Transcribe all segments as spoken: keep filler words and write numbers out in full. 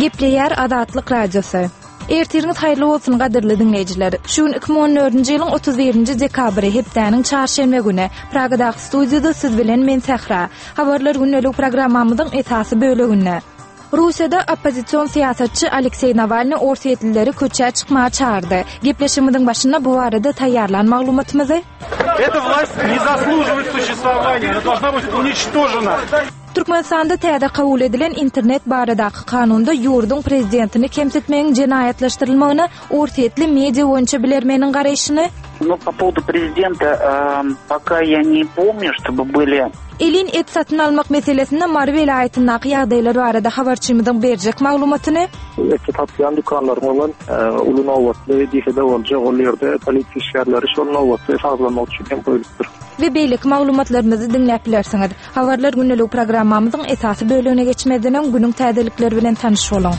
Gepleýär Azatlyk Radiosy. Ertiriňiz haýyrly bolsun gadyrly diňleýjiler. Şu gün iki müň on dördünji ýylyň otuz birinji dekabry, hepdäniň çarşenbe güni. Pragadaky studiýada siz bilen men Sähra. Habarlar gündelik programmamyzyň esasy böleginde. Russiýada oppozision syýasatçy Alekseý Nawalny orsýetlileri köçä çykmaga çagyrdy. Gepleşigimiziň başynda bu barada taýýarlan maglumatymyzy. Эта власть не заслуживает существования, она должна быть уничтожена. Türkmenistanda täze kabul edilen internet baradaky kanunda ýurduň prezidentini kemsitmegiň jenaýatlaşdyrylmagyna orsýetli media boýunça bilermeniň garaýşyny. Ну, по поводу prezidenta, эм, пока я не помню, чтобы были Elin et satyn almak meselesinde Mary welaýatyndaky ýagdaýlar barada habarçymyzyň berjek maglumatyny. Et satýan dükanlaryň bolan, e, uly nobatly diýse-de boljak, ol ýerde polisiýa işgärleri şol nobatly sazlamak üçin hem goýlupdyr. We beýleki maglumatlarymyzy diňläp bilersiňiz. Habarlar gündelik programmamyzyň esasy bölümine geçmezden öň günüň täzelikleri bilen tanyş boluň.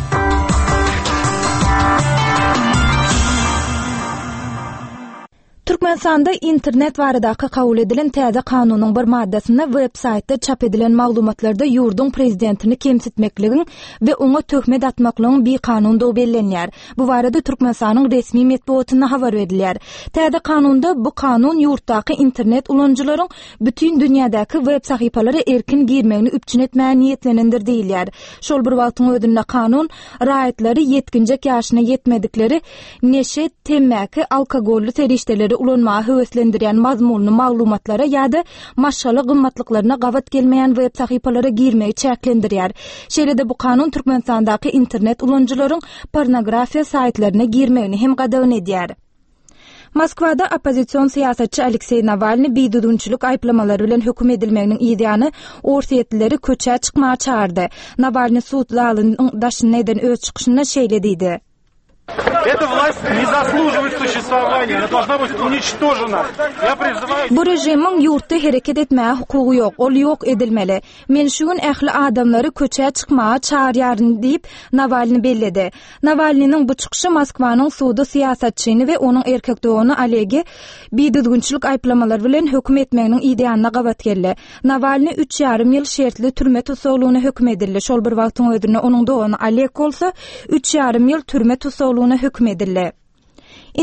Türkmenistanda internet baradaky kabul edilen täze kanunyň bir maddasynda web-saýtda çap edilen maglumatlarda ýurduň prezidentini kemsitmekligiň we oňa töhmet atmaklygyň bikanundygy bellenýär. Bu barada Türkmenistanyň resmi metbugatynda habar berilýär. Täze kanunda bu kanun ýurtdaky internet ulanyjylaryň bütün dünýädäki web sahypalara erkin girmegini üpjün etmäge niýetlenendir diýilýär. Şol bir wagtyň özünde kanun raýatlary ýetginjek ýaşyna ýetmedikleri neşe, temmäki, alkogolly serişdeleri ulanmaga höweslendirýän mazmunly maglumatlara ýa-da maşgala gymmatlyklaryna gabat gelmeýän web sahypalara girmegi çäklendirýär. Şeýle-de bu kanun Türkmenistandaky internet ulanyjylaryň pornografiýa saýtlaryna girmegini hem gadagan edýär. Moskwada oppozision syýasatçy Alekseý Nawalny bidüzgünçilik aýyplamalary bilen höküm edilmeginiň ýany orsýetlileri köçä çykmaga çagyrdy. Nawalny sud zalynyň daşynda eden öz çykyşynda şeýle diýdi. Эта власть не заслуживает существования, она должна быть уничтожена. Я призываю... Bu režimiň ýurtda hereket etmäge hukugy ýok, ol ýok edilmeli. Men şu gün ähli adamlary köçä çykmaga çagyrýaryn diýip Nawalny belledi. Nawalnynyň bu çykyşy Moskwanyň sudy syýasatçyny we onuň erkek dogany Olegi bidüzgünçilik aýyplamalary bilen höküm etmeginiň ýanyna gabat geldi. Nawalny üç ýarym ýyl şertli türme tussaglygyna höküm edildi. Şol bir wagtyň özünde onuň dogany Oleg bolsa üç ýarym ýyl türme tussaglygyna höküm edildi.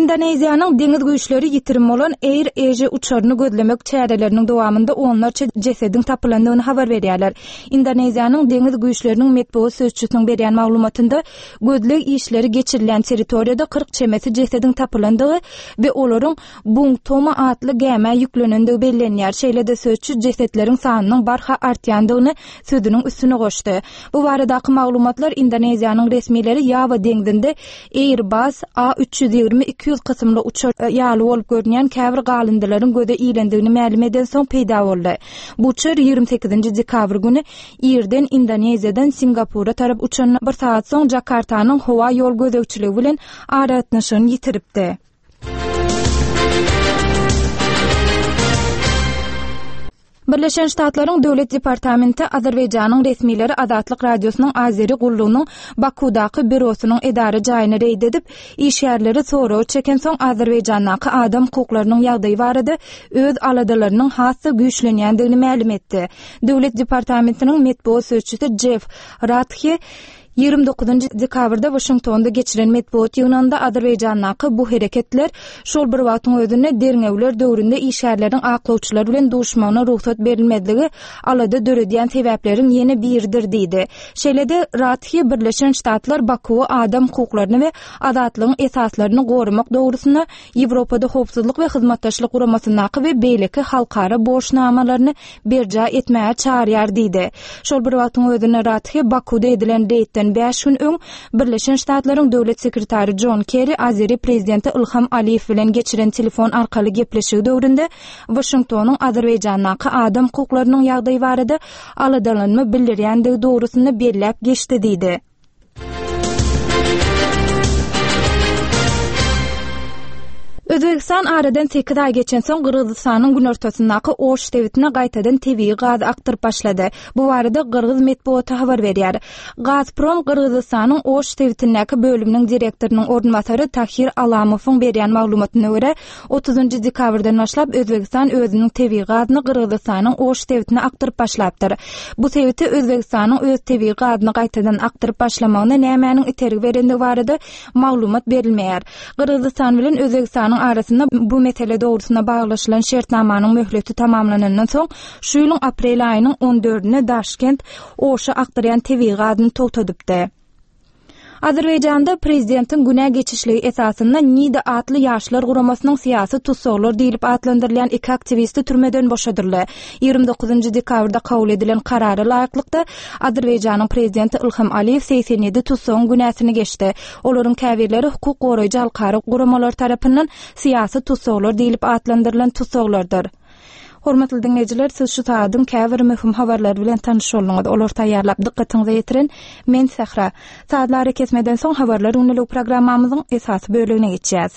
Indoneziýanyň deňiz güýçleri ýitirim bolan Air Asia uçaryny gözlemek çäreleriniň dowamynda onlarça jesediň tapylandygyny habar berýärler. Indoneziýanyň deňiz güýçleriniň metbugat sözçüsiniň berýän maglumatynda gözleg işleri geçirilen territoriýada kyrk çemesi jesediň tapylandygy we olaryň Bung Tomo atly gämä ýüklenendigi bellenýär. Şeýle-de sözçi jesetleriň sanynyň barha artýandygyny sözüniň üstüne goşdy. Bu baradaky maglumatlar Indoneziýanyň resmileri Ýawa deňzinde Airbus A üç ýüz ýigrimi iki ýüz kysymly uçar ýaly bolup görünýän käbir galyndylaryň göze ilendigini mälim eden soň peýda boldy. Bu uçar ýigrimi sekizinji dekabr güni irden Indoneziýadan Singapura tarap uçan bir saat soň Jakartanyň howa ýol gözegçiligi bilen aragatnaşygyny ýitiripdi. Birleşen Ştatlaryň Döwlet Departamenti Azerbaýjanyň resmileri Azatlyk Radiosynyň Azeri gullugynyň Bakudaky bürosynyň edara jaýyny reýd edip, işgärleri soragy çeken soň Azerbaýjandaky adam hukuklarynyň ýagdaýy barada öz aladalarynyň has-da güýçlenýändigini mälim etdi. Döwlet Departamentiniň metbugat sözçüsi Jeff Rathe ýigrimi dokuzynjy dekabrda Washingtonda geçiren metbugat ýygnagynda Azerbaýjandaky bu hereketler şol bir wagtyň özünde derňewler döwründe işgärleriň aklawçylar bilen duşmagyna rugsat berilmezligi alada döredýän sebäpleriň ýene biridir diýdi. Şeýle-de Rathe Birleşen Ştatlar Bakuwy adam hukuklaryny we azatlygyň esaslaryny goramak dogrusynda Ýewropada howpsuzlyk we hyzmatdaşlyk guramasyndaky we beýleki halkara borçnamalaryny berjaý etmäge çagyrýar diýdi. Şol bir wagtyň özünde Rathe Bakuda edilen reýdden bäş gün öň Birleşen Ştatlaryň Döwlet sekretary John Kerry Azeri prezidenti Ilham Aliýew bilen geçiren telefon arkaly gepleşigi döwründe Washingtonyň Azerbaýjandaky adam hukuklarynyň ýagdaýy barada aladalanma bildirýändigi dogrusynda belläp geçdi diýdi. Özbegistan aradan sekiz aý geçensoň Gyrgyzystanyň günortasyndaky Oş sebitine gaýtadan tebigy gaz akdyryp başlady. Bu barada gyrgyz metbugaty habar berýär. Gazprom Gyrgyzystanyň Oş sebitindäki bölüminiň direktorynyň orunbasary Tahir Alamowyň berýän maglumatyna görä, otuzynjy dekabrdan başlap Özbegistan özüniň tebigy gazyny Gyrgyzystanyň Oş sebitine akdyryp başlapdyr. Bu sebite Özbegistanyň öz tebigy gazyny gaýtadan akdyryp başlamagyna nämäniň itergi berendigi barada maglumat berilmeýär. Gyrgyzystan bilen Özbegistanyň arasynda bu mesele dogrusynda baglaşylan şertnamanyň möhleti tamamlanandan soň, şu ýylyň aprel aýynyň on dördünde Daşkent Oşa akdyrýan tebigy gazyny togtadypdy. Azerbaýjanda prezidentiň günä geçişligi esasynda Nida atly ýaşlar guramasynyň syýasy tussaglar diýlip atlandyrylýan iki aktiwisti türmeden boşadyldy. Ýigrimi dokuzynjy dekabrda kabul edilen karara laýyklykda Azerbaýjanyň prezidenti Ilham Aliýew segsen ýedi tussagyň günäsini geçdi. Olaryň käbirleri hukuk goraýjy halkara guramalar tarapyndan syýasy tussaglar diýlip atlandyrylan tussaglardyr. Hormatly diňleýjiler, siz şu saadyň käbir möhüm habarlary bilen tanyş bolduňyz. Olar taýýarlap dykgatyňyza ýetiren men Sähra. Saatlar kesmeden soň habarlar gündelik programmamyzyň esasy bölümine geçýäs.